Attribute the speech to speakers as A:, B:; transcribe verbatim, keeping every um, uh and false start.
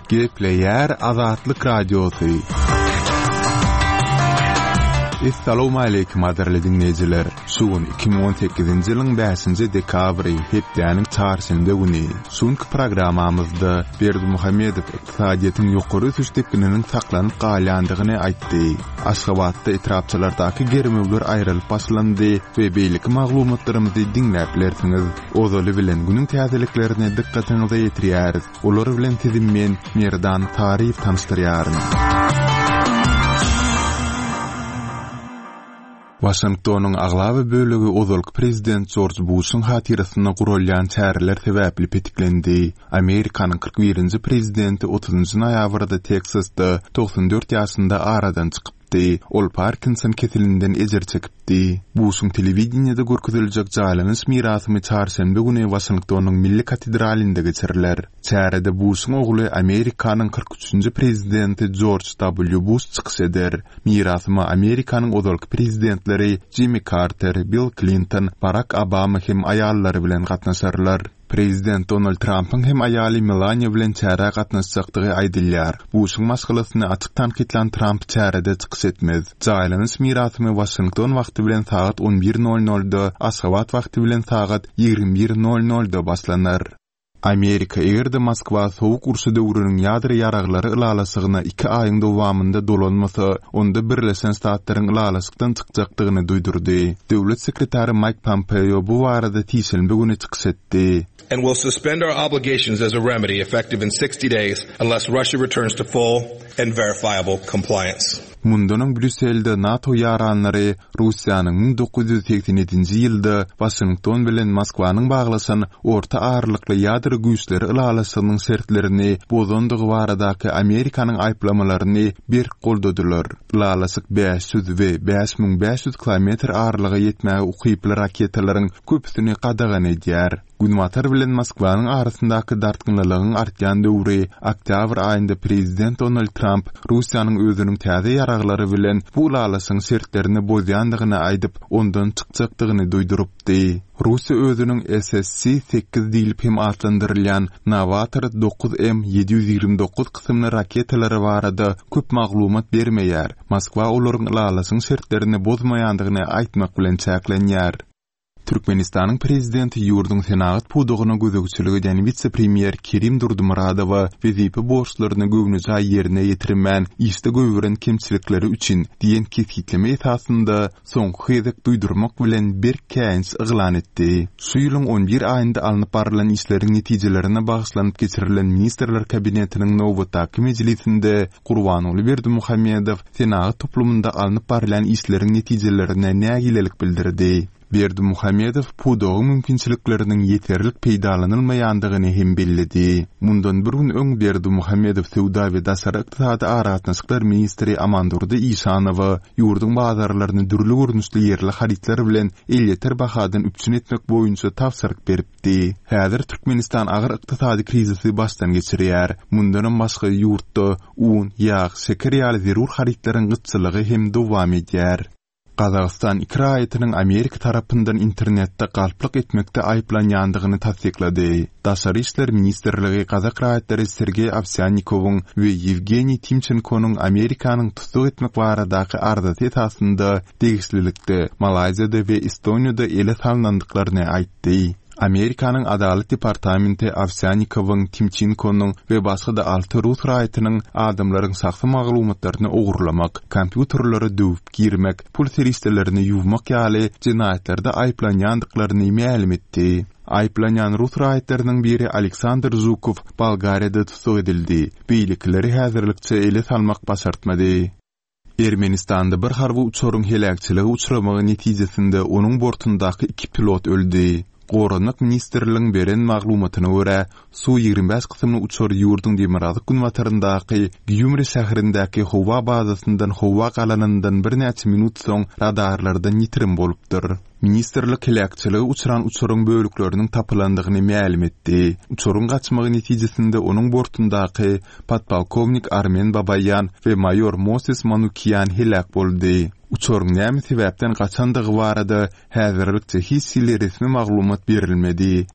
A: Gepleýär Azatlyk Radiosy. Essalawmaleýkim gadyrly diňleýjiler! Şu gün iki müň on sekizinji ýylyň bäşinji dekabry, hepdäniň çarşenbe güni. Şu günki programmamyzda Berdimuhamedow ykdysadyýetiň ýokary ösüş depgininiň saklanyp galýandygyny aýtdy. Aşgabatda etrapçalardaky germewler aýrylyp başlandy we beýleki maglumatlarymyzy diňläp bilersiňiz. Ozaly bilen günüň täzeliklerini dykgatyňyza ýetirýäris. Olar bilen sizi men, Merdan Saryýew tanyşdyrýaryn. Waşingtonyň aglaba bölegi ozalky prezident Jorj Buşuň hatyrasyna guralýan çäreler sebäpli petiklendi. Amerikanyň kyrk birinji prezidenti otuzynjy noýabrda Teksasda togsan dört ýaşynda aradan çykypdy. Ol Parkinson keselinden ejir çekipdi. Buşuň telewideniýede görkeziljek jaýlanyş mirasymy çarşenbe güni Waşingtonyň Milli katedralynda geçiriler. Çärede Buşuň ogly Amerikanyň kyrk üçünji prezidenti Jorj W. Buş çykyş eder. Mirasyma Amerikanyň ozalky prezidentleri Jimmy Carter, Bill Clinton, Barack Obama hem aýallary bilen gatnaşarlar. Prezident Donald Trumpyň hem aýaly Melania bilen çärä gatnaşjakdygy aýdylýar. Buşuň maşgalasyny açyk tankytlan Trump çärede çykyş etmez. Jaýlanyş mirasymy Waşington wagty bilen sagat on bir nol nolda, Aşgabat wagty bilen sagat ýigrimi bir nol nolda başlanar. Amerika eger-de Moskwa sowuk urşy döwrüniň ýadro ýaraglary ylalaşygyna iki aýyň dowamynda dolanmasa, onda Birleşen Ştatlaryň ylalaşykdan çykjakdygyny duýdurdy. Döwlet sekretary Mike Pompeo bu barada sişenbe güni çykyş etdi.
B: And will suspend our obligations as a remedy effective in sixty days unless Russia returns to full and verifiable compliance.
A: Mundan öň Brýusselde NATO ýaranlary Russiýanyň müň dokuz ýüz segsen ýedinji ýylda Waşington bilen Moskwanyň baglaşan orta aralykly ýadro güýçleri ylalaşygynyň şertlerini bozandygy baradaky Amerikanyň aýyplamalaryny berk goldadylar. Ylalaşyk bäş ýüz we bäş müň bäş ýüz kilometr aralyga ýetmäge ukyply raketalaryň köpüsini gadagan edýär. Günbatar bilen Moskwanyň arasyndaky dartgynlylygyň artýan döwri oktýabr aýynda prezident Donald Trump Russiýanyň özüniň täze ýaraglary bilen bu ylalaşygyň şertlerini bozýandygyny aýdyp, ondan çykjakdygyny duýdurypdy. Russiýa özüniň S S C sekiz diýlip hem atlandyrylýan Novator dokuz M ýedi ýüz ýigrimi dokuz kysymly raketalary barada köp maglumat bermeýär. Moskwa olaryň ylalaşygyň şertlerini bozmaýandygyny aýtmak bilen çäklenýär. Türkmenistanyň prezidenti ýurduň senagat pudagyna gözegçilik edýän wise-premýer Kerim Durdumuradowa wezipe borçlaryny göwnüjaý ýerine ýetirmän, işde goýberen kemçilikleri üçin diýen kesgitleme esasynda soňky gezek duýdurmak bilen berk käýinç yglan etdi. Şu ýylyň on bir aýynda alnyp barylan işleriň netijelerine bagyşlanyp geçirilen Ministrler Kabinetiniň nobatdaky mejlisinde Gurbanguly Berdimuhamedow senagat toplumynda alnyp barylýan işleriň netijelerine nägilelik bildirdi. Berdimuhamedow pudagyň mümkinçilikleriniň ýeterlik peýdalanylmaýandygyny hem belledi. Mundan bir gün öň Berdimuhamedow Söwda we Daşary ykdysady aragatnaşyklar ministri Amandurdy Işanowa ýurduň bazarlaryny dürli görnüşli ýerli harytlar bilen elýeter bahadan üpjün etmek boýunça tabşyryk beripdi. Häzir Türkmenistan agyr ykdysady krizisi başdan geçirýär. Mundanam başga ýurtda un, ýag, şeker ýaly zerur harytlaryň gytçylygy hem dowam edýär. Gazagystan iki raýatynyň Amerika tarapyndan internetde galplyk etmekde aýyplanýandygyny tassyklady. Daşary işler ministrligi Gazak raýatlary Sergey Ovsyanikowyň we Ýewgeniý Timçenkonyň Amerikanyň tussag etmek baradaky arzasy esasynda degişlilikde Malaýziýada we Estoniýada ele salnandyklaryny aýtdy. Amerikanyň Adalat departamenti Ovsyanikowyň, Timçenkonyň we başga-da alty rus raýatynyň adamlaryň şahsy maglumatlaryny ogurlamak, kompýuterlere döwüp girmek, pul serişdelerini ýuwmak ýaly jenaýatlarda aýyplanýandyklaryny mälim etdi. Aýyplanýan rus raýatlarynyň biri Aleksandr Žukow Bolgariýada tussag edildi. Beýlekileri häzirlikçe ele salmak başartmady. Ermenistanda bir harby uçaryň heläkçilige uçramagy netijesinde onuň bortundaky iki pilot öldi. Goranmak ministrligiň beren maglumatyna görä, Su ýigrimi bäş kysymly uçar ýurduň demirgazyk günbataryndaky Gýumri şäherindäki howa bazasyndan howa galanyndan birnäçe minut soň radarlardan ýitirim bolupdyr. Ministrlik heläkçilige uçran uçaryň bölükleriniň tapylandygyny mälim etdi. Uçaryň gaçmagy netijesinde onuň bortundaky podpolkownik Armen Babaýan we maýor Moses Manukian heläk boldy. Uçaryň näme sebäpden gaçandygy barada häzirlikçe hiç hili resmi maglumat berilmedi.